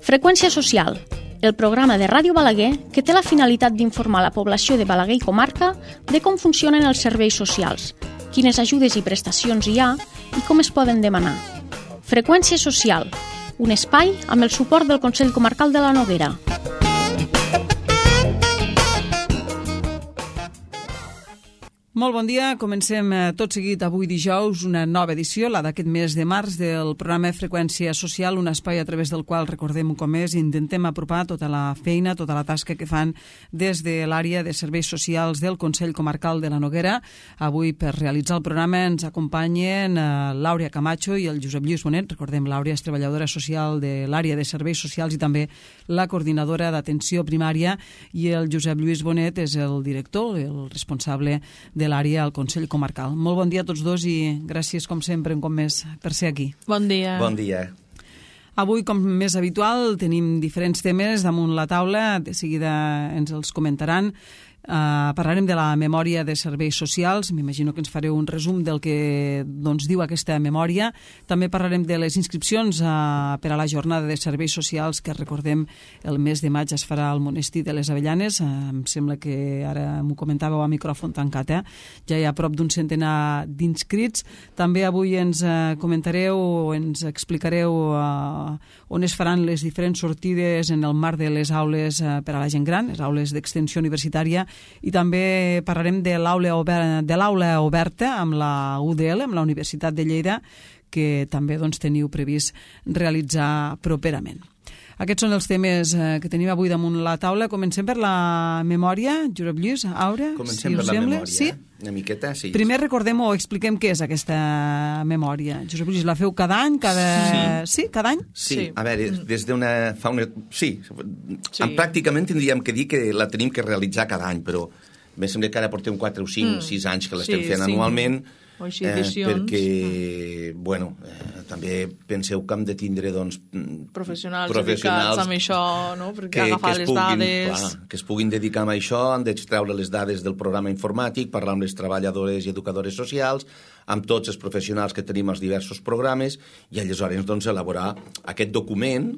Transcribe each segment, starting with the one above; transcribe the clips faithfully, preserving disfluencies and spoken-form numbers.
Freqüència social, el programa de Ràdio Balaguer que té la finalitat d'informar la població de Balaguer i comarca de com funcionen els serveis socials, quines ajudes i prestacions hi ha i com es poden demanar. Freqüència social, un espai amb el suport del Consell Comarcal de la Noguera. Molt bon dia, comencem tot seguit avui dijous una nova edició, la d'aquest mes de març, del programa Freqüència Social, un espai a través del qual, recordem com és, intentem apropar tota la feina, tota la tasca que fan des de l'àrea de serveis socials del Consell Comarcal de la Noguera. Avui, per realitzar el programa, ens acompanyen l'Àurea Camacho i el Josep Lluís Bonet. Recordem, l'Àurea és treballadora social de l'àrea de serveis socials i també la coordinadora d'atenció primària, i el Josep Lluís Bonet és el director, el responsable de l'àrea al Consell Comarcal. Molt bon dia a tots dos i gràcies, com sempre, un cop més, per ser aquí. Bon dia. Bon dia. Avui, com més habitual, tenim diferents temes damunt la taula. De seguida ens els comentaran. Uh, parlarem de la memòria de serveis socials. M'imagino que ens fareu un resum del que doncs, diu aquesta memòria. També parlarem de les inscripcions uh, per a la jornada de serveis socials que, recordem, el mes de maig es farà al Monestir de les Avellanes. Uh, em sembla que ara m'ho comentàveu a micròfon tancat, eh? Ja hi ha prop d'un centenar d'inscrits. També avui ens uh, comentareu o ens explicareu uh, on es faran les diferents sortides en el marc de les aules uh, per a la gent gran, les aules d'extensió universitària. I també parlarem de l'aula oberta, de l'aula oberta amb la U D L, amb la Universitat de Lleida, que també doncs, teniu previst realitzar properament. Aquests són els temes que tenim avui damunt la taula. Comencem per la memòria. Josep Lluís, Àurea, Comencem si per us la sembla. memòria, Sí? una miqueta, sí. Primer recordem o expliquem què és aquesta memòria. Josep Lluís, la feu cada any? Cada... Sí. Sí, cada any? Sí, Sí. a veure, des d'una... Fa una... Sí, Sí. pràcticament tindríem que dir que la tenim que realitzar cada any, però em sembla que ara portem quatre o cinc, sis anys que l'estem Sí, fent cinc anualment, o així edicions. perquè, bueno, eh, també penseu que hem de tindre, doncs, Professionals, professionals dedicats amb això, no? Perquè que, agafar que es les puguin, dades... clar, que es puguin dedicar a això, han d'extreure les dades del programa informàtic, parlar amb les treballadores i educadores socials, amb tots els professionals que tenim als diversos programes, i aleshores doncs, elaborar aquest document,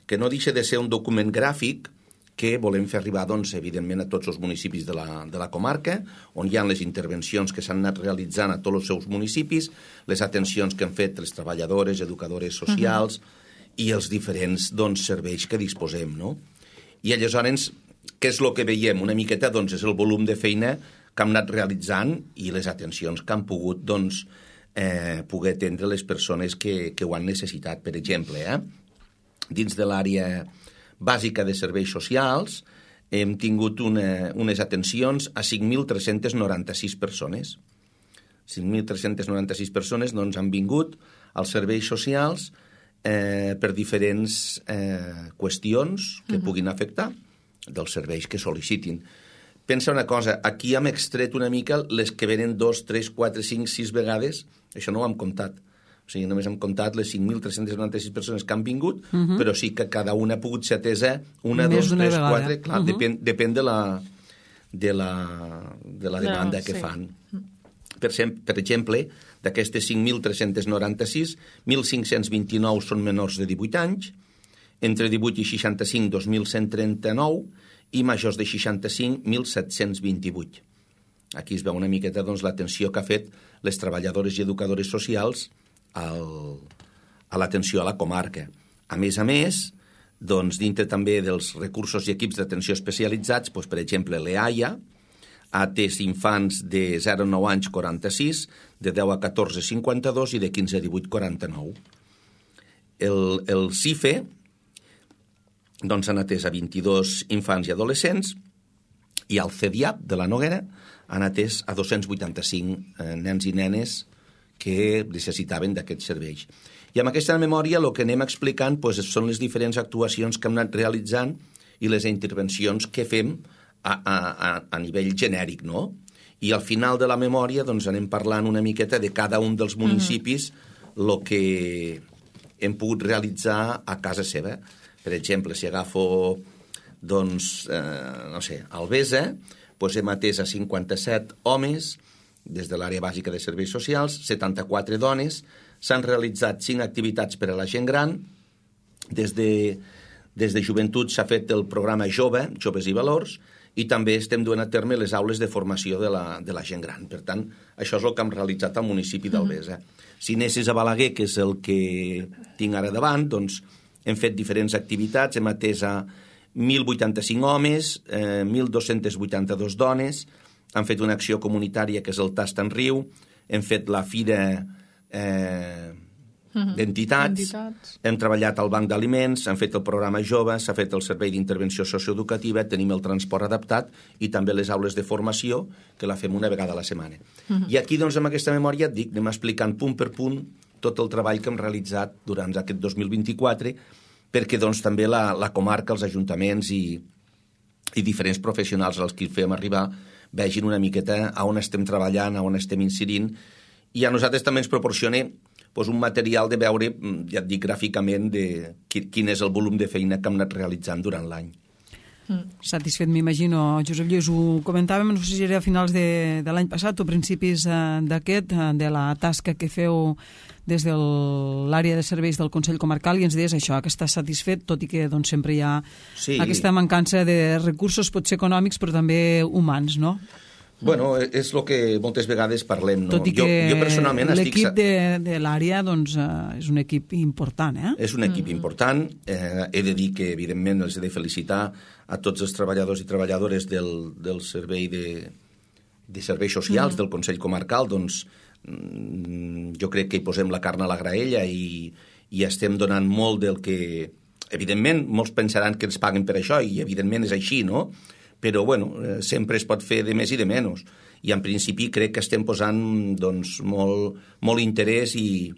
que no deixa de ser un document gràfic, que volem fer arribar, doncs, evidentment, a tots els municipis de la, de la comarca, on hi ha les intervencions que s'han anat realitzant a tots els seus municipis, les atencions que han fet les treballadores, educadores socials, uh-huh. i els diferents doncs, serveis que disposem, no? I aleshores, què és el que veiem? Una miqueta, doncs, és el volum de feina que hem anat realitzant i les atencions que han pogut, doncs, eh, poder atendre les persones que, que ho han necessitat. Per exemple, eh? dins de l'àrea bàsica de serveis socials, hem tingut una, unes atencions a cinc mil tres-centes noranta-sis persones. cinc mil tres-centes noranta-sis persones doncs, han vingut als serveis socials eh, per diferents eh, qüestions que uh-huh. puguin afectar dels serveis que sol·licitin. Pensa una cosa, aquí hem extret una mica les que venen dos, tres, quatre, cinc, sis vegades, això no ho hem comptat. O sigui, només hem comptat les cinc mil tres-centes noranta-sis persones que han vingut, uh-huh. però sí que cada una ha pogut ser atesa una, Més dos, tres, vegada. quatre... Clar, uh-huh. depèn, depèn de la, de la, de la demanda no, que sí. fan. Per, per exemple, d'aquestes cinc mil tres-centes noranta-sis, mil cinc-cents vint-i-nou són menors de divuit anys, entre divuit i seixanta-cinc, dos mil cent trenta-nou, i majors de seixanta-cinc, mil set-cents vint-i-vuit. Aquí es veu una miqueta doncs, l'atenció que ha fet les treballadores i educadores socials al, a l'atenció a la comarca. A més a més, doncs, dintre també dels recursos i equips d'atenció especialitzats, doncs, per exemple, l'E A I A ha atès infants de zero a nou anys quaranta-sis, de deu a catorze cinquanta-dos i de quinze a divuit quaranta-nou. El, el C I F E doncs, han atès a vint-i-dos infants i adolescents, i el C E D I A P de la Noguera han atès a dos-cents vuitanta-cinc eh, nens i nenes que necessitaven d'aquests serveis. I amb aquesta memòria el que anem explicant doncs, són les diferents actuacions que hem anat realitzant i les intervencions que fem a, a, a nivell genèric, no? I al final de la memòria doncs, anem parlant una miqueta de cada un dels municipis el mm-hmm. que hem pogut realitzar a casa seva. Per exemple, si agafo doncs, eh, no sé, Albesa, doncs hem atès a cinquanta-set homes des de l'àrea bàsica de serveis socials, setanta-quatre dones, s'han realitzat cinc activitats per a la gent gran, des de Des de joventut s'ha fet el programa Jove, Joves i Valors, i també estem duent a terme les aules de formació de la, de la gent gran. Per tant, això és el que hem realitzat al municipi d'Albesa. Si anessis a Balaguer, que és el que tinc ara davant, doncs hem fet diferents activitats, hem atès a mil vuitanta-cinc homes, eh, mil dos-cents vuitanta-dos dones, han fet una acció comunitària que és el Tast en Riu, hem fet la fira eh, d'entitats, Entitats. hem treballat al banc d'aliments, hem fet el programa Jove, s'ha fet el servei d'intervenció socioeducativa, tenim el transport adaptat i també les aules de formació, que la fem una vegada a la setmana. Uh-huh. I aquí, doncs, amb aquesta memòria, et dic, anem explicant punt per punt tot el treball que hem realitzat durant aquest dos mil vint-i-quatre, perquè doncs, també la, la comarca, els ajuntaments i, i diferents professionals als qui fem arribar vegin una miqueta a on estem treballant, a on estem incidint, i a nosaltres també ens proporciona doncs, un material de veure, ja et dic gràficament, de quin és el volum de feina que hem anat realitzant durant l'any. Mm. Satisfet, m'imagino. Josep Lluís, ho comentàvem, no sé si era a finals de, de l'any passat o principis eh, d'aquest, eh, de la tasca que feu des de l'àrea de serveis del Consell Comarcal, i ens deies això, que estàs satisfet, tot i que doncs, sempre hi ha sí. aquesta mancança de recursos, potser econòmics, però també humans, no? Bueno, és el que moltes vegades parlem, no? Tot i que jo, jo personalment l'equip estic... de, de l'àrea doncs, eh, és un equip important, eh? És un equip mm. important. Eh, he de dir que, evidentment, els he de felicitar a tots els treballadors i treballadores del, del servei de, de serveis socials mm. del Consell Comarcal. Doncs jo crec que hi posem la carn a la graella i, i estem donant molt del que... Evidentment, molts pensaran que ens paguen per això, i evidentment és així, no? Però, bueno, sempre es pot fer de més i de menys. I, en principi, crec que estem posant doncs, molt, molt interès i,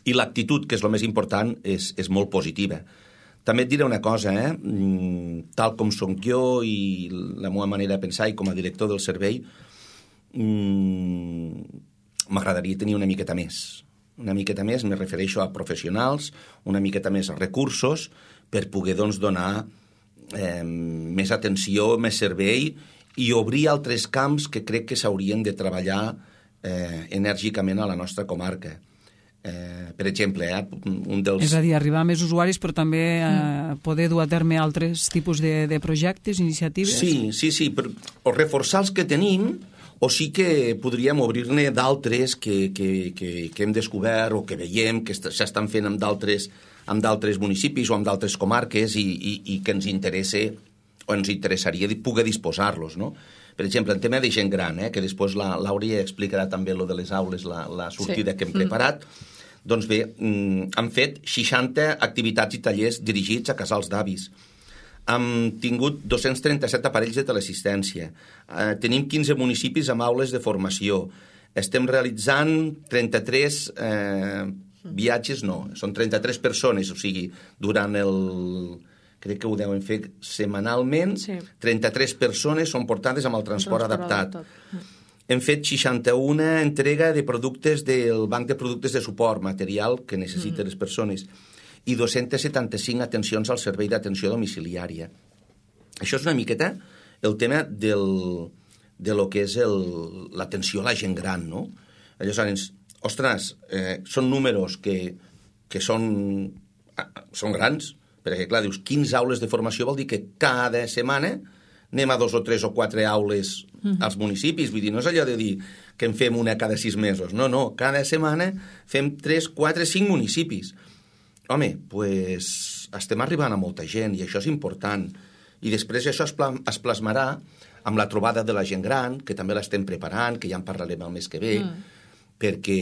i l'actitud, que és el més important, és, és molt positiva. També et diré una cosa, eh? Tal com som jo i la meva manera de pensar i com a director del servei, m'agradaria tenir una miqueta més. Una miqueta més, me refereixo a professionals, una miqueta més a recursos, per poder doncs, donar Eh, més atenció, més servei i obrir altres camps que crec que s'haurien de treballar eh, enèrgicament a la nostra comarca. Eh, per exemple, eh, un dels... És a dir, arribar a més usuaris, però també eh, poder dur a terme altres tipus de, de projectes, iniciatives? Sí, sí, sí, però, o reforçar els que tenim, o sí que podríem obrir-ne d'altres que, que, que, que hem descobert o que veiem que s'estan fent amb d'altres amb d'altres municipis o amb d'altres comarques i, i, i que ens interessa o ens interessaria poder disposar-los, no? Per exemple, el tema de gent gran, eh, que després la Laura explicarà també lo de les aules, la, la sortida sí. que hem preparat. Mm. Doncs bé, mm, han fet seixanta activitats i tallers dirigits a casals d'avis. Hem tingut dos-cents trenta-set aparells de teleassistència. Eh, tenim quinze municipis amb aules de formació. Estem realitzant trenta-tres... Eh, viatges no, són trenta-tres persones, o sigui, durant el... crec que ho deuen fer setmanalment, sí. trenta-tres persones són portades amb el transport, el transport adaptat. adaptat. Hem fet seixanta-una entrega de productes del banc de productes de suport, material que necessiten mm. les persones, i dos-cents setanta-cinc atencions al servei d'atenció domiciliària. Això és una miqueta el tema del, de lo que és el, l'atenció a la gent gran, no? Aleshores, ostres, eh, són números que, que són, són grans, perquè, clar, dius, quinze aules de formació vol dir que cada setmana anem a dos o tres o quatre aules mm. als municipis, vull dir, no és allò de dir que en fem una cada sis mesos, no, no, cada setmana fem tres, quatre, cinc municipis. Home, doncs pues, estem arribant a molta gent i això és important. I després això es, pla, es plasmarà amb la trobada de la gent gran, que també l'estem preparant, que ja en parlarem el mes que ve, mm. perquè,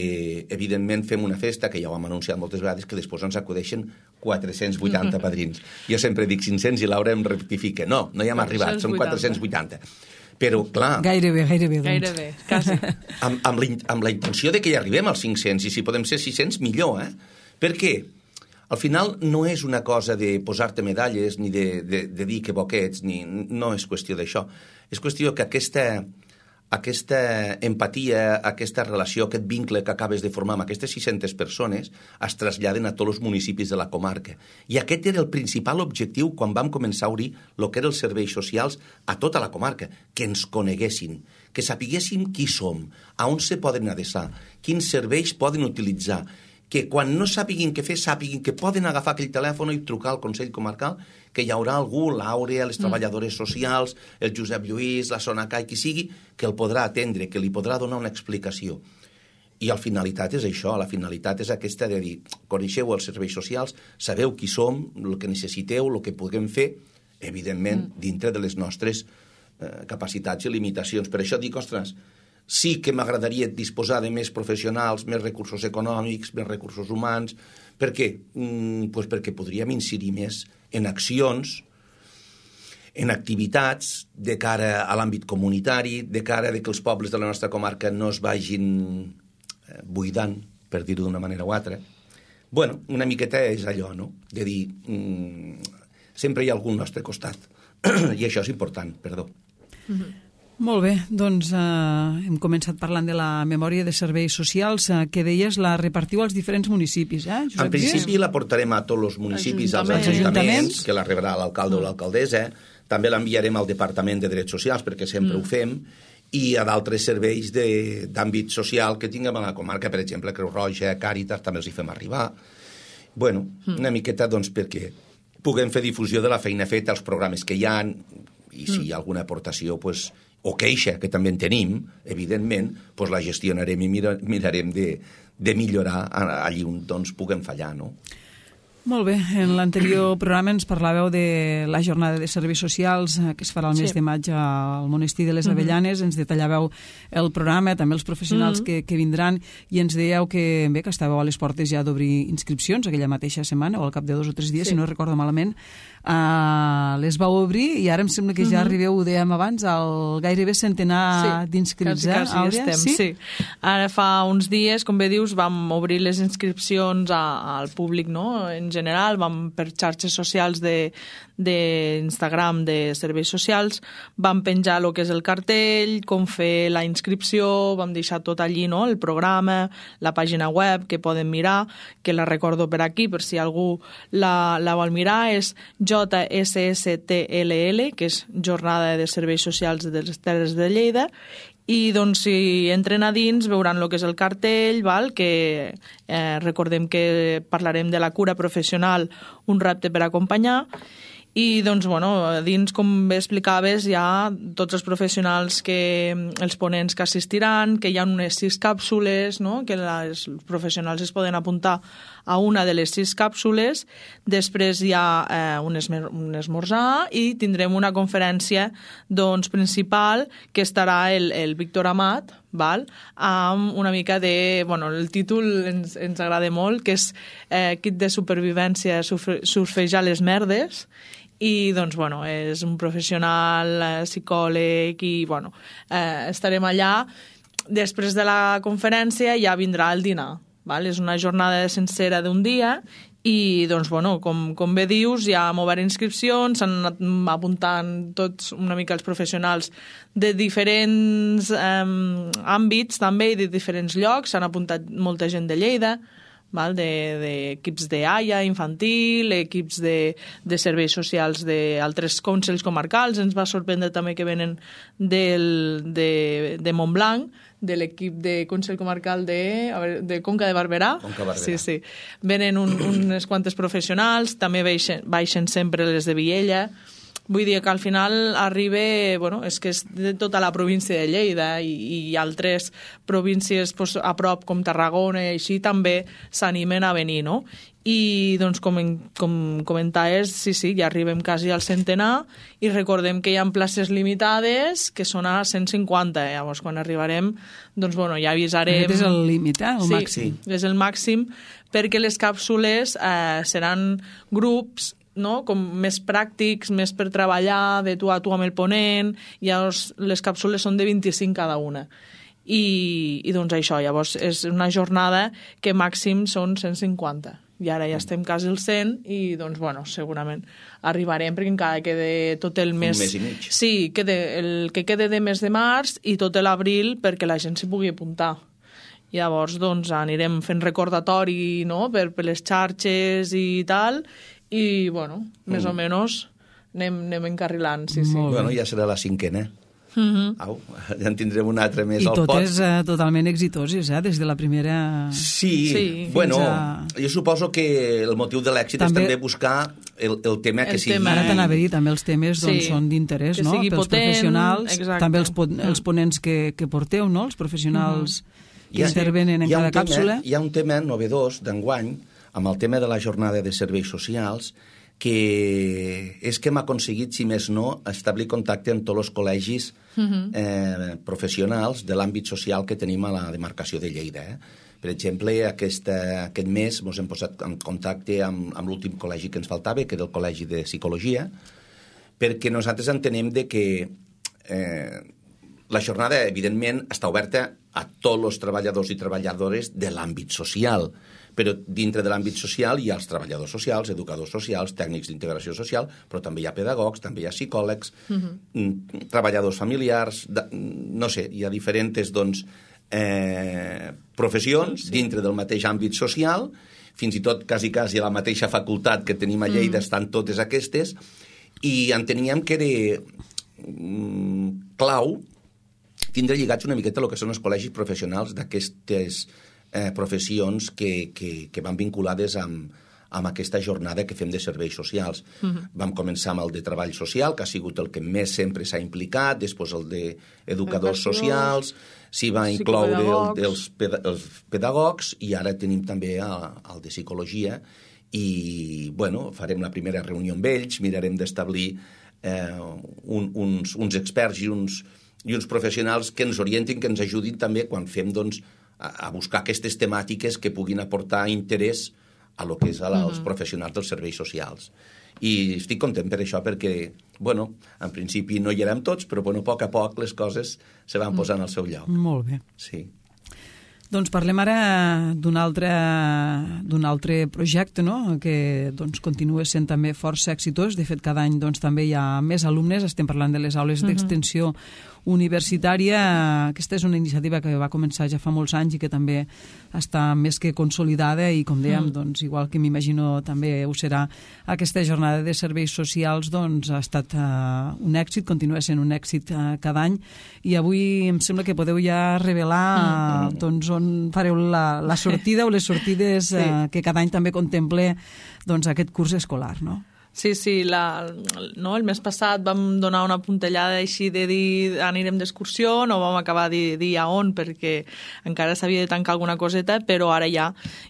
evidentment, fem una festa, que ja ho hem anunciat moltes vegades, que després ens acudeixen quatre-cents vuitanta padrins. Jo sempre dic cinc-cents i Laura em rectifica. No, no hi hem arribat, són quatre-cents vuitanta. Però, clar... Gairebé, gairebé, doncs. Gairebé, quasi. Amb, amb, la, amb la intenció de que hi arribem als cinc-cents, i si podem ser sis-cents, millor, eh? Per què? Al final no és una cosa de posar-te medalles, ni de, de, de dir que bo que ets, ni, no és qüestió d'això. És qüestió que aquesta... aquesta empatia, aquesta relació, aquest vincle que acabes de formar amb aquestes sis-centes persones es traslladen a tots els municipis de la comarca. I aquest era el principal objectiu quan vam començar a obrir el que eren els serveis socials a tota la comarca, que ens coneguessin, que sapiguéssim qui som, a on se poden adreçar, quins serveis poden utilitzar, que quan no sàpiguin què fer, sàpiguin que poden agafar aquell telèfon i trucar al Consell Comarcal, que hi haurà algú, l'Àurea, les treballadores socials, el Josep Lluís, la Sonaca, qui sigui, que el podrà atendre, que li podrà donar una explicació. I la finalitat és això, la finalitat és aquesta de dir, coneixeu els serveis socials, sabeu qui som, el que necessiteu, el que puguem fer, evidentment, dintre de les nostres eh, capacitats i limitacions. Per això dic, ostres, sí que m'agradaria disposar de més professionals, més recursos econòmics, més recursos humans. Per què? Mm, pues perquè podríem incidir més en accions, en activitats de cara a l'àmbit comunitari, de cara a que els pobles de la nostra comarca no es vagin eh, buidant, per dir-ho d'una manera o altra. Bueno, una miqueta és allò, no?, de dir, mm, sempre hi ha algú al nostre costat. I això és important, perdó. Mm-hmm. Molt bé, doncs eh, hem començat parlant de la memòria de serveis socials eh, que deies la repartiu als diferents municipis, eh, Josep? En principi la portarem a tots els municipis, als Ajuntaments. ajuntaments, que la rebrà l'alcalde o l'alcaldessa, també l'enviarem al Departament de Drets Socials, perquè sempre mm. ho fem, i a d'altres serveis d'àmbit social que tinguem a la comarca, per exemple, Creu Roja, Càritas, també els hi fem arribar. Bueno, mm. una miqueta, doncs, perquè puguem fer difusió de la feina feta, els programes que hi ha, i si hi ha alguna aportació, pues, o queixa, que també en tenim, evidentment, doncs la gestionarem i mira, mirarem de, de millorar allí on doncs, puguem fallar, no? Molt bé. En l'anterior programa ens parlàveu de la jornada de serveis socials que es farà el mes sí. de maig al Monestir de les Avellanes. Mm-hmm. Ens detallàveu el programa, també els professionals mm-hmm. que, que vindran, i ens dèieu que, bé, que estàveu a les portes ja d'obrir inscripcions aquella mateixa setmana, o al cap de dos o tres dies, sí. si no recordo malament. Uh, les vau obrir i ara em sembla que ja mm-hmm. arribeu, ho dèiem abans, al gairebé centenar sí. d'inscrits. Quasi, quasi eh, estem, sí? sí. Ara fa uns dies, com bé dius, vam obrir les inscripcions a, al públic, no?, en general, vam per xarxes socials d'Instagram de, de serveis socials, vam penjar el que és el cartell, com fer la inscripció, vam deixar tot allí, no?, el programa, la pàgina web que poden mirar, que la recordo per aquí, per si algú la, la vol mirar, és J S S T L L, que és Jornada de Serveis Socials de les Terres de Lleida, i doncs si entren a dins veuran el que és el cartell, val? Que eh, recordem que parlarem de la cura professional, un repte per acompanyar, i doncs, bueno, a dins, com bé explicaves, hi ha tots els professionals, que els ponents que assistiran, que hi ha unes sis càpsules, no?, que les, els professionals es poden apuntar a una de les sis càpsules, després hi ha eh, un, esmer, un esmorzar i tindrem una conferència doncs, principal que estarà el, el Víctor Amat, val? Amb una mica de... Bueno, el títol ens, ens agrada molt, que és eh, Kit de supervivència, surfe, surfejar les merdes, i doncs, bueno, és un professional, eh, psicòleg, i bueno, eh, estarem allà. Després de la conferència ja vindrà el dinar, val? És una jornada sencera d'un dia, i doncs, bueno, com, com bé dius, ja hem obert inscripcions, s'han anat apuntant tots una mica els professionals de diferents eh, àmbits també, i de diferents llocs, s'han apuntat molta gent de Lleida, val? De, de equips de A I A infantil, equips de, de serveis socials d'altres consells comarcals. Ens va sorprendre també que venen del, de, de Montblanc, de l'equip de Consell Comarcal de, a veure, de Conca de Barberà. Conca Barberà. Sí, sí. Venen un, unes quantes professionals, també baixen, baixen sempre les de Viella. Vull dir que al final arriba, bueno, és que és de tota la província de Lleida, i, i altres províncies pues, a prop com Tarragona i així també s'animen a venir, no? I doncs com, com comentaves, sí, sí, ja arribem quasi al centenar, i recordem que hi ha places limitades que són a cent cinquanta, eh? Llavors quan arribarem, doncs bueno, ja avisarem... Aquest és el límit, eh? El sí, màxim. Sí, és el màxim, perquè les càpsules eh, seran grups, no?, com més pràctics, més per treballar de tu a tu amb el ponent. Llavors les càpsules són de vint-i-cinc cada una, i, i doncs això, llavors és una jornada que màxim són cent cinquanta, i ara ja estem quasi al cent, i doncs bueno, segurament arribarem, perquè encara queda tot el mes... Un mes i mig. Sí, queda el que queda de mes de març i tot l'abril perquè la gent s'hi pugui apuntar. Llavors doncs anirem fent recordatori, no?, per, per les xarxes i tal, i, bueno, més mm. o menys anem, anem encarrilant, sí, sí. Bueno, ja serà la cinquena. Mm-hmm. Au, ja en tindrem un altre més I al pot. totes uh, totalment exitoses, eh? Des de la primera... Sí, Sí. bueno, a... jo suposo que el motiu de l'èxit també... és també buscar el, el tema El que sigui... tema. Ara t'anava a dir, també els temes doncs, Sí. són d'interès, Que no? sigui Pels potent, professionals, exacte. també els, po els ponents que, que porteu, no? Els professionals Mm-hmm. que intervenen en hi ha cada un tema, càpsula. Hi ha un tema novedós d'enguany, amb el tema de la jornada de serveis socials, que és que hem aconseguit, si més no, establir contacte amb tots els col·legis Mm-hmm. eh, professionals de l'àmbit social que tenim a la demarcació de Lleida. Eh? Per exemple, aquesta, aquest mes ens hem posat en contacte amb, amb l'últim col·legi que ens faltava, que era el Col·legi de Psicologia, perquè nosaltres entenem de que eh, la jornada, evidentment, està oberta a tots els treballadors i treballadores de l'àmbit social, però dintre de l'àmbit social hi ha els treballadors socials, educadors socials, tècnics d'integració social, però també hi ha pedagogs, també hi ha psicòlegs, uh-huh. treballadors familiars, de, no sé, hi ha diferents doncs, eh, professions sí, sí. dintre del mateix àmbit social, fins i tot quasi, quasi a la mateixa facultat que tenim a Lleida uh-huh. estan totes aquestes, i enteníem que era mm, clau tindre lligats una miqueta el que són els col·legis professionals d'aquestes eh, professions que, que, que van vinculades amb, amb aquesta jornada que fem de serveis socials. Uh-huh. Vam començar amb el de treball social, que ha sigut el que més sempre s'ha implicat, després el d'educadors socials, s'hi va incloure el dels peda els pedagogs, i ara tenim també el, el de psicologia, i bueno, farem la primera reunió amb ells, mirarem d'establir eh, un, uns, uns experts i uns, i uns professionals que ens orientin, que ens ajudin també quan fem doncs, a, a buscar aquestes temàtiques que puguin aportar interès a lo que és a la, als professionals dels serveis socials. I estic content per això, perquè, bueno, en principi no hi érem tots, però bueno, a poc a poc les coses se van posant al seu lloc. Molt bé. Sí. Doncs parlem ara d'un altre, d'un altre projecte, no? Que doncs, continua sent també força exitós. De fet, cada any doncs, també hi ha més alumnes. Estem parlant de les aules uh-huh. d'extensió universitària. Aquesta és una iniciativa que va començar ja fa molts anys i que també està més que consolidada i, com dèiem, doncs, igual que m'imagino també ho serà, aquesta jornada de serveis socials doncs, ha estat uh, un èxit, continua sent un èxit uh, cada any, i avui em sembla que podeu ja revelar uh, doncs, on fareu la, la sortida o les sortides uh, sí. que cada any també contemple doncs, aquest curs escolar, no? Sí, sí, la, no, el mes passat vam donar una puntellada així de dir anirem d'excursió, no vam acabar de dir a on perquè encara s'havia de tancar alguna coseta, però ara ja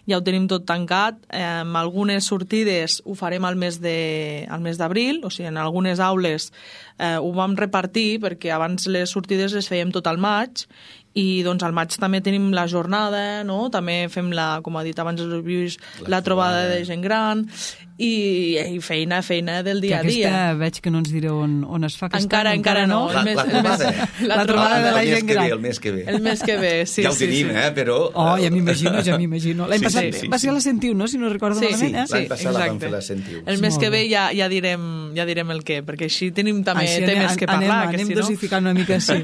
ja ho tenim tot tancat. Eh, algunes sortides ho farem al mes de, al mes d'abril, o sigui, en algunes aules eh, ho vam repartir perquè abans les sortides les fèiem tot al maig, i doncs al maig també tenim la jornada, no? També fem la, com ha dit abans el Lluís, la, la trobada de gent gran i, i feina, feina del dia a dia. Aquesta veig que no ens direu on, on es fa aquesta encara, any, encara no. La, la trobada, la, la trobada de la gent gran. El mes que ve, el mes que ve, sí. Ja ho tenim, sí, sí. eh, però... Oh, ja m'imagino, ja m'imagino. L'any Sí, passat sí, sí, va ser a la Sentiu, no?, si no recordo Sí, malament, eh? sí, l'any passat la vam fer la exacte. Sentiu. El mes Molt que ve bé. ja, ja, direm, ja direm el què, perquè així tenim també Així temes anem, que parlar. Anem, que anem si no... dosificant una mica, sí.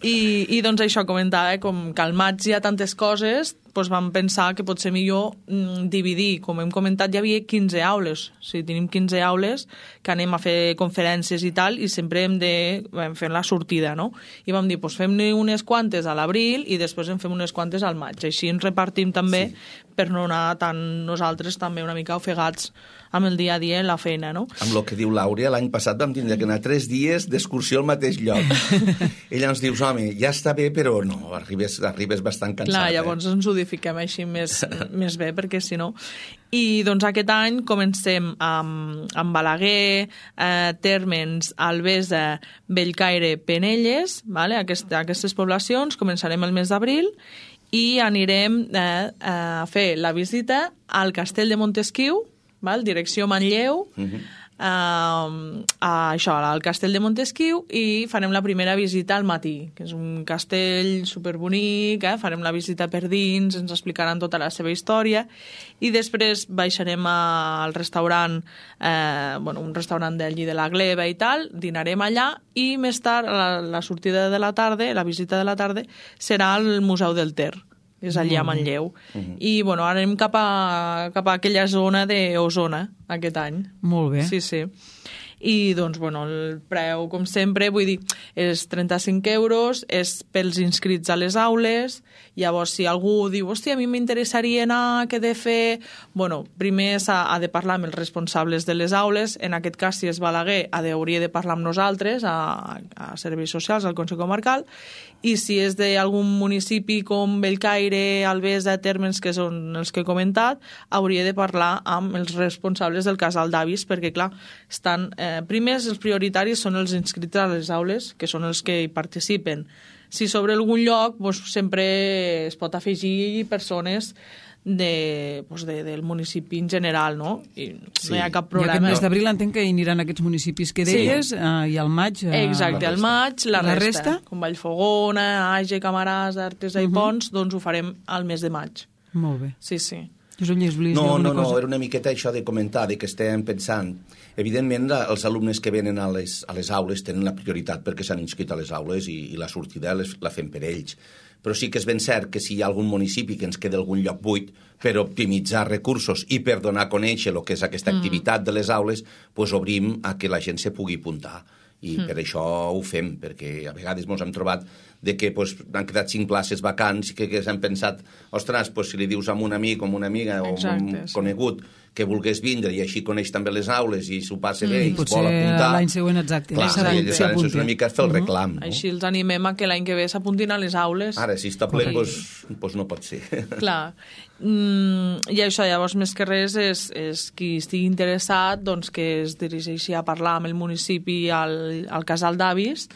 I, I doncs això comentava, eh, com que al maig hi ha tantes coses, doncs vam pensar que pot ser millor mm, dividir. Com hem comentat, hi havia quinze aules. O sigui, tenim quinze aules que anem a fer conferències i tal, i sempre hem de vam fer la sortida, no? I vam dir, doncs fem-ne unes quantes a l'abril i després en fem unes quantes al maig. Així ens repartim també sí. per no anar tan nosaltres també una mica ofegats amb el dia a dia en la feina, no? Amb el que diu l'Àurea, l'any passat vam tindre que anar tres dies d'excursió al mateix lloc. Ella ens diu, home, ja està bé, però no, arribes, arribes bastant cansat. Clar, llavors eh? ens ho difiquem així més, més bé, perquè si no... I doncs aquest any comencem amb, amb Balaguer, eh, Térmens, Albesa, Bellcaire, Penelles, vale? Aquest, aquestes poblacions, començarem el mes d'abril i anirem eh, a fer la visita al Castell de Montesquiu, val? Direcció Manlleu, uh-huh. Uh, a això, al Castell de Montesquiu, i farem la primera visita al matí, que és un castell superbonic, eh? Farem la visita per dins, ens explicaran tota la seva història, i després baixarem a, al restaurant, eh, bueno, un restaurant d'allí de la Gleva i tal, dinarem allà, i més tard, la, la sortida de la tarda, la visita de la tarda, serà al Museu del Ter, és allà a Manlleu. Uh-huh. I, bueno, ara anem cap a, cap a aquella zona d'Osona, aquest any. Molt bé. Sí, sí. i doncs, bueno, el preu, com sempre, vull dir, és trenta-cinc euros, és pels inscrits a les aules. Llavors, si algú diu, hòstia, a mi m'interessaria anar, què he de fer? Bueno, primer s'ha ha de parlar amb els responsables de les aules, en aquest cas, si és Balaguer, ha de, hauria de parlar amb nosaltres, a, a Serveis Socials, al Consell Comarcal, i si és d'algun municipi com Bellcaire, Albesa, Térmens, que són els que he comentat, hauria de parlar amb els responsables del casal d'avis, perquè, clar, estan... Eh, primers, els prioritaris són els inscrits a les aules, que són els que hi participen. Si sobre algun lloc, doncs, sempre es pot afegir persones de, doncs de, del municipi en general, no? I sí. No hi ha cap problema. I aquest mes d'abril entenc que hi aniran aquests municipis que deies, sí. eh, i al maig... Eh, Exacte, al maig, la, la resta, resta, com Vallfogona, Age, Camarasa, Artesa uh -huh. i Pons, doncs ho farem al mes de maig. Molt bé. Sí, sí. No, no, no, era una miqueta això de comentar, de que estem pensant. Evidentment, els alumnes que venen a les, a les aules tenen la prioritat perquè s'han inscrit a les aules i, i la sortida les, la fem per ells. Però sí que és ben cert que si hi ha algun municipi que ens queda algun lloc buit per optimitzar recursos i per donar a conèixer el que és aquesta activitat de les aules, doncs obrim a que la gent se pugui apuntar. I mm. per això ho fem, perquè a vegades ens hem trobat de que pues, han quedat cinc places vacants i que, que s'han pensat, ostres, pues, si li dius a un amic o a una amiga o a un sí. conegut que volgués vindre i així coneix també les aules i s'ho passa bé mm. i es vol apuntar... l'any següent, exacte. Clar, sí, és una mica fer el reclam. Uh -huh. no? Així els animem a que l'any que ve s'apuntin a les aules. Ara, si està ple, doncs pues, pues no pot ser. Clar. Mm, I això, llavors, més que res, és, és qui estigui interessat doncs, que es dirigeixi a parlar amb el municipi al, al casal d'avis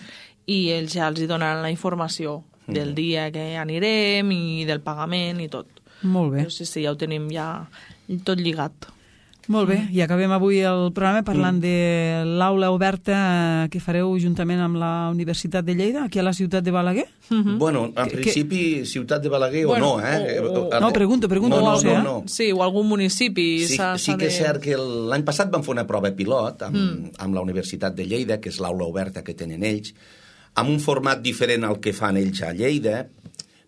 i ells ja els hi donaran la informació mm. del dia que anirem i del pagament i tot. Molt bé. Però sí, sí, ja ho tenim ja tot lligat. Molt bé, i acabem avui el programa parlant mm. de l'aula oberta que fareu juntament amb la Universitat de Lleida, aquí a la ciutat de Balaguer? Mm-hmm. Bueno, en que, principi que... ciutat de Balaguer bueno, o no, eh? O, o... No, pregunto, pregunto. No, no, no, no, no. Sí, o algun municipi. Sí, sí que és cert que l'any passat vam fer una prova pilot amb, mm. amb la Universitat de Lleida, que és l'aula oberta que tenen ells, amb un format diferent al que fan ells a Lleida,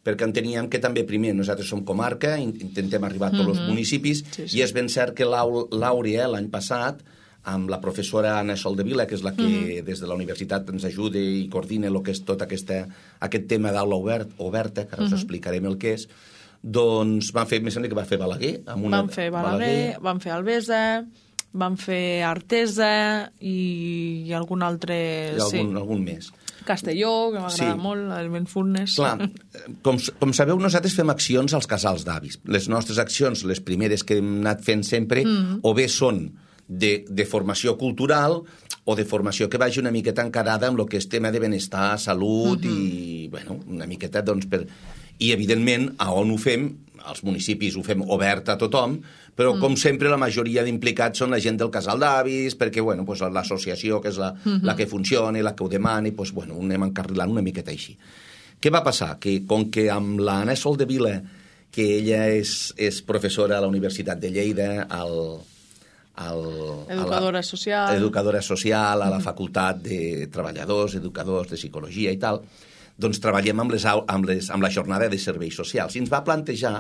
perquè enteníem que també, primer, nosaltres som comarca, intentem arribar a tots mm-hmm. els municipis, sí, sí. I és ben cert que l'Àurea, l'any passat, amb la professora Anna Soldevila, que és la que mm-hmm. des de la universitat ens ajuda i coordina el que és tot aquesta, aquest tema d'aula obert, oberta, que ara mm-hmm. us explicarem el que és, doncs van fer, més sembla que va fer Balaguer. Amb una van fer Balaguer, Balaguer, van fer Albesa, van fer Artesa i, i algun altre... I algun, sí. algun més. Castelló, que m'agrada sí. molt, el Benfurnes. Clar, com, com sabeu, nosaltres fem accions als casals d'avis. Les nostres accions, les primeres que hem anat fent sempre, mm. o bé són de, de formació cultural o de formació que vagi una miqueta encarada amb el que és tema de benestar, salut mm-hmm. i, bueno, una miqueta, doncs, per... I, evidentment, a on ho fem, als municipis ho fem obert a tothom, però, mm. com sempre, la majoria d'implicats són la gent del casal d'avis, perquè, bueno, pues, l'associació, que és la, mm-hmm. la que funciona, la que ho demana, i, pues, bueno, anem encarrilant una miqueta així. Què va passar? Que, com que amb l'Anna Soldevila, que ella és, és professora a la Universitat de Lleida, al... al educadora a la, social. Educadora social, a la Facultat de Treballadors, Educadors de Psicologia i tal, doncs treballem amb, les, amb, les, amb la jornada de serveis socials. I ens va plantejar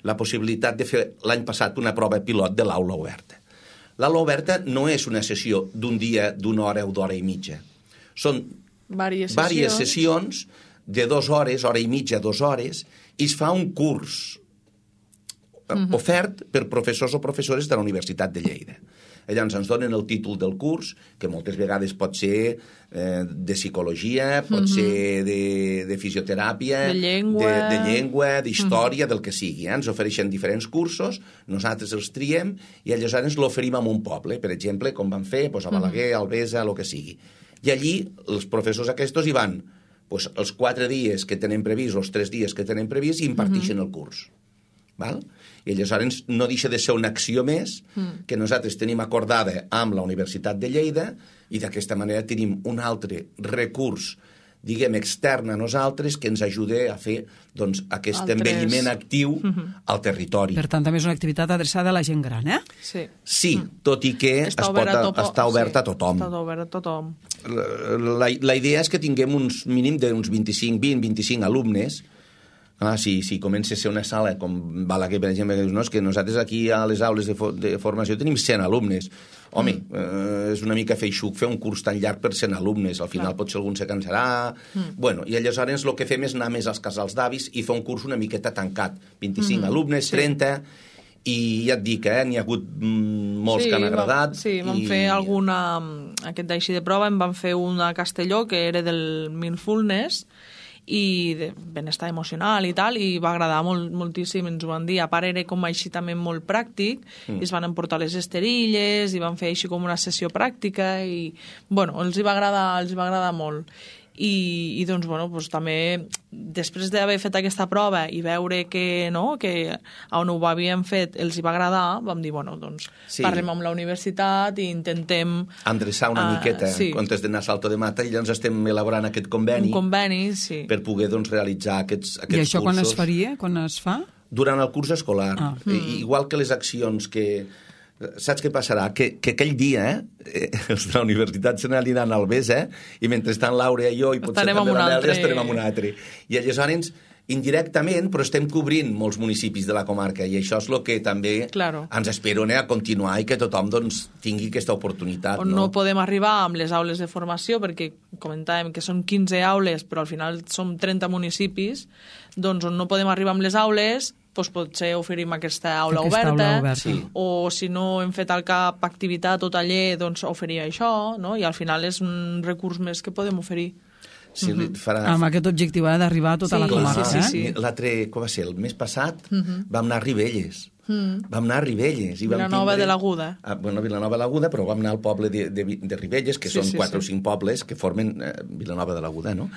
la possibilitat de fer l'any passat una prova pilot de l'aula oberta. L'aula oberta no és una sessió d'un dia, d'una hora o d'hora i mitja. Són diverses sessions. sessions de dues hores, hora i mitja, dues hores, i es fa un curs uh-huh. ofert per professors o professores de la Universitat de Lleida. Llavors ens donen el títol del curs, que moltes vegades pot ser eh, de psicologia, pot uh-huh. ser de, de fisioteràpia, de llengua, de, de llengua, d'història, uh-huh. del que sigui. Eh? Ens ofereixen diferents cursos, nosaltres els triem i aleshores l'oferim a un poble, per exemple, com van fer doncs, a Balaguer, a Albesa, el que sigui. I allí els professors aquests hi van doncs, els quatre dies que tenen previst, els tres dies que tenen previst, i imparteixen uh-huh. el curs. Val? I aleshores no deixa de ser una acció més mm. que nosaltres tenim acordada amb la Universitat de Lleida i d'aquesta manera tenim un altre recurs, diguem, extern a nosaltres que ens ajuda a fer doncs, aquest Altres... envelliment actiu mm-hmm. al territori. Per tant, també és una activitat adreçada a la gent gran, eh? Sí. Sí, mm. tot i que està es pot, topo... està oberta sí, a tothom. Està oberta a tothom. La, la, la idea és que tinguem uns mínim d'uns vint-i-cinc, vint, vint-i-cinc alumnes Ah, sí, sí, comença a ser una sala, com Balaguer, per exemple, que dius, no, és que nosaltres aquí a les aules de, fo de formació tenim cent alumnes. Home, mm. eh, és una mica feixuc fer un curs tan llarg per cent alumnes, al final Clar. potser algun se cansarà... Mm. Bueno, i aleshores el que fem és anar més als casals d'avis i fer un curs una miqueta tancat, vint-i-cinc mm. alumnes, sí. trenta... I ja et dic, eh, n'hi ha hagut molts sí, que han agradat. Va, sí, vam i... fer alguna... Aquest d'així de prova en vam fer una a Castelló, que era del Mindfulness, i de benestar emocional i tal, i va agradar molt, moltíssim, ens ho van dir. A part era com així també molt pràctic, mm. i es van emportar les esterilles, i van fer així com una sessió pràctica, i bueno, els hi va agradar, els hi va agradar molt. I, i doncs, bueno, doncs, també després d'haver fet aquesta prova i veure que, no, que on ho havíem fet els hi va agradar, vam dir, bueno, doncs sí. parlem amb la universitat i intentem... endreçar una uh, miqueta sí. en comptes d'anar a Salto de Mata, i llavors estem elaborant aquest conveni, un conveni sí. per poder doncs, realitzar aquests, aquests cursos. I això cursos. Quan es faria? Quan es fa? Durant el curs escolar. Ah. I, igual que les accions que... Saps què passarà? Que, que aquell dia, eh, els de la universitat se n'aniran al Bes, eh? I mentrestant Laura i jo, i potser estarem també la Nèlia, estarem amb un altre. I aleshores, indirectament, però estem cobrint molts municipis de la comarca, i això és el que també claro. ens espero eh, a continuar i que tothom doncs, tingui aquesta oportunitat. On no? no podem arribar amb les aules de formació, perquè comentàvem que són quinze aules, però al final som trenta municipis, doncs on no podem arribar amb les aules... doncs potser oferim aquesta aula aquesta oberta, aula oberta. Sí. O si no hem fet al cap activitat o taller, doncs oferir això, no? I al final és un recurs més que podem oferir. Sí, mm -hmm. farà... Amb aquest objectiu ha d'arribar a tota sí, la comarca. Sí, sí, sí. Eh? L'altre, com va ser, el mes passat, mm -hmm. vam anar a Ribelles. Mm. Vam anar a Ribelles. I vam Vilanova tindre... de l'Aguda. Ah, bueno, Vilanova de l'Aguda, però vam anar al poble de, de, de Ribelles, que sí, són sí, quatre sí. o cinc pobles que formen eh, Vilanova de l'Aguda, no?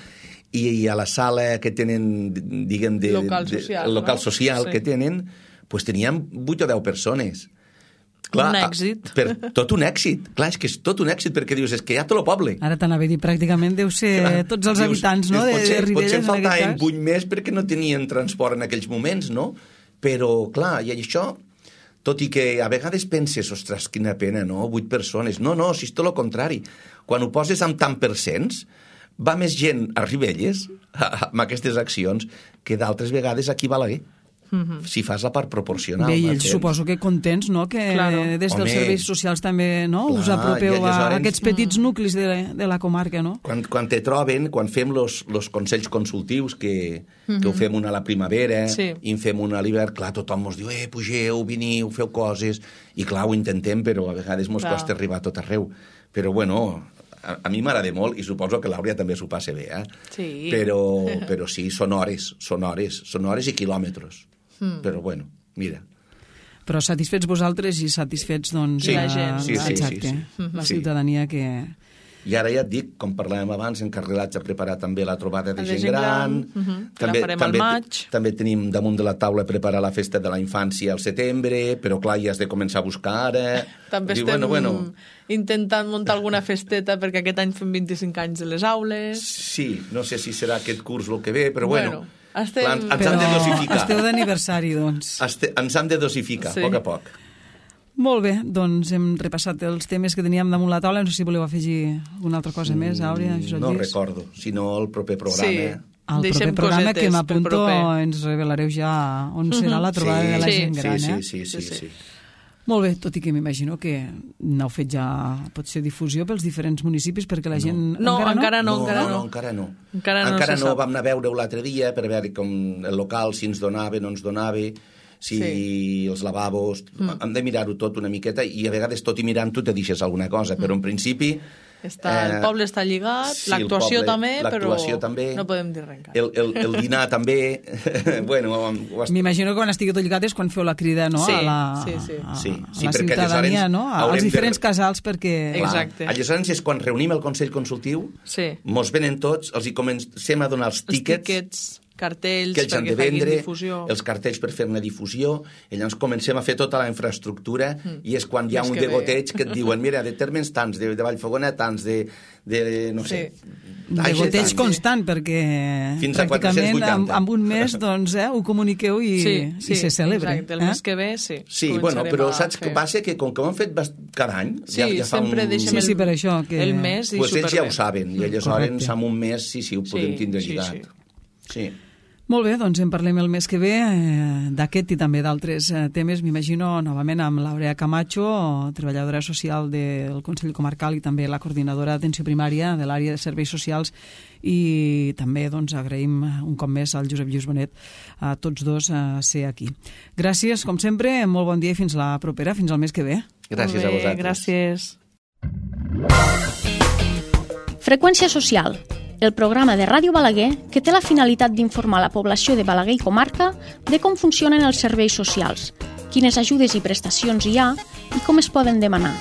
I, I a la sala que tenen, diguem, de... Local social, de, el local no? social sí. que tenen, pues teníem vuit o deu persones. Clar, un èxit. Per, tot un èxit. Clar, és que és tot un èxit, perquè dius, és que hi ha tot el poble. Ara t'anava a dir, pràcticament deu ser Clar, tots els dius, habitants, no?, de, potser, de Ribelles, potser en faltaven vuit més perquè no tenien transport en aquells moments, no? Però, clar, i això, tot i que a vegades penses, ostres, quina pena, no?, vuit persones. No, no, si és tot el contrari. Quan ho poses amb tant per cents, va més gent a Ribelles, amb aquestes accions, que d'altres vegades aquí a Balaguer. Mm-hmm. Si fas la part proporcional. Bé, i ells suposo que contents, no?, que claro. des dels Home, serveis socials també no? Clar, us apropeu a aquests petits mm. nuclis de, de la comarca, no? Quan, quan te troben, quan fem los, los consells consultius, que, mm-hmm. que ho fem una a la primavera, sí. i en fem una a l'hivern, clar, tothom ens diu, eh, pugeu, veniu, feu coses, i clar, ho intentem, però a vegades ens costa arribar a tot arreu. Però, bueno... A, a mi m'agrada molt, i suposo que l'Àurea també s'ho passa bé, eh? Sí. Però, però sí, són hores, són hores, són hores i quilòmetres. Mm. Però bueno, mira. Però satisfets vosaltres i satisfets, doncs, sí, la gent. Sí, sí, exacte, sí, sí. la sí. ciutadania que... I ara ja et dic, com parlàvem abans, encarregats a preparar també la trobada de, de gent gran. gran. Uh-huh. També, la farem també, al maig. També tenim damunt de la taula preparar la festa de la infància al setembre, però clar, ja has de començar a buscar ara. També Diu, estem bueno, bueno. intentant muntar alguna festeta perquè aquest any fem vint-i-cinc anys de les aules. Sí, no sé si serà aquest curs el que ve, però bueno... bueno estem... clar, ens hem de dosificar. Esteu d'aniversari, doncs. Este, ens hem de dosificar, sí. a poc a poc. Molt bé, doncs hem repassat els temes que teníem damunt la taula. No sé si voleu afegir alguna altra cosa més, Àurea, Josep No Lluís. recordo, sinó el proper programa... Sí. El Deixem proper programa que m'apunto proper. ens revelareu ja on serà la trobada sí, de la sí, gent gran, sí, eh? Sí, sí, sí, sí, sí. Molt bé, tot i que m'imagino que n'heu fet ja, potser, difusió pels diferents municipis perquè la gent... No, encara, encara no, no, encara no, no. no, encara no. Encara no, encara se no sap. Vam anar a veure-ho l'altre dia per veure com el local, si ens donava, no ens donava, si sí. els lavabos... Mm. Hem de mirar-ho tot una miqueta i a vegades tot i mirant-ho te deixes alguna cosa, mm. però en principi... Està, eh, el poble està lligat, sí, l'actuació també, però també, no podem dir res encara. El, el, el dinar també... bueno, est... M'imagino que quan estigui tot lligat és quan feu la crida, no? Sí, a la, sí, sí. A, sí, sí, a la ciutadania, no? Als diferents de... casals, perquè... Exacte. Clar, aleshores és quan reunim el Consell Consultiu, sí. mos venen tots, els hi comencem a donar els tíquets... Els tíquets... cartells que ells han perquè de vendre, difusió. Els cartells per fer-ne difusió, i llavors comencem a fer tota la infraestructura, mm. i és quan hi ha Més un degoteig bé. Que et diuen, mira, de Térmens tants, de, de Vallfogona tants, de, de no sé... Sí. Degoteig constant, perquè fins pràcticament amb, amb un mes doncs, eh, ho comuniqueu i, sí, sí, i se celebra. Exacte, el eh? mes que ve, sí. Sí, bueno, però saps què passa? Que com que ho han fet cada any... Sí, ja, ja fa sempre un... deixem sí, sí, per això, que... el mes i pues superbé. Ells ja ho saben, i aleshores amb un mes sí, sí, ho podem sí, tindre sí, lligat. Sí. sí. Molt bé, doncs en parlem el mes que ve eh, d'aquest i també d'altres eh, temes. M'imagino novament amb l'Aurea Camacho, treballadora social del Consell Comarcal i també la coordinadora d'atenció primària de l'àrea de serveis socials, i també doncs, agraïm un cop més al Josep Lluís Bonet a tots dos a ser aquí. Gràcies, com sempre, molt bon dia i fins la propera, fins al mes que ve. Gràcies a vosaltres. Gràcies. Freqüència social, el programa de Ràdio Balaguer que té la finalitat d'informar la població de Balaguer i comarca de com funcionen els serveis socials, quines ajudes i prestacions hi ha i com es poden demanar.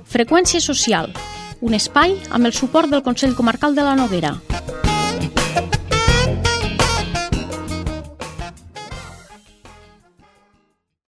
Freqüència social, un espai amb el suport del Consell Comarcal de la Noguera.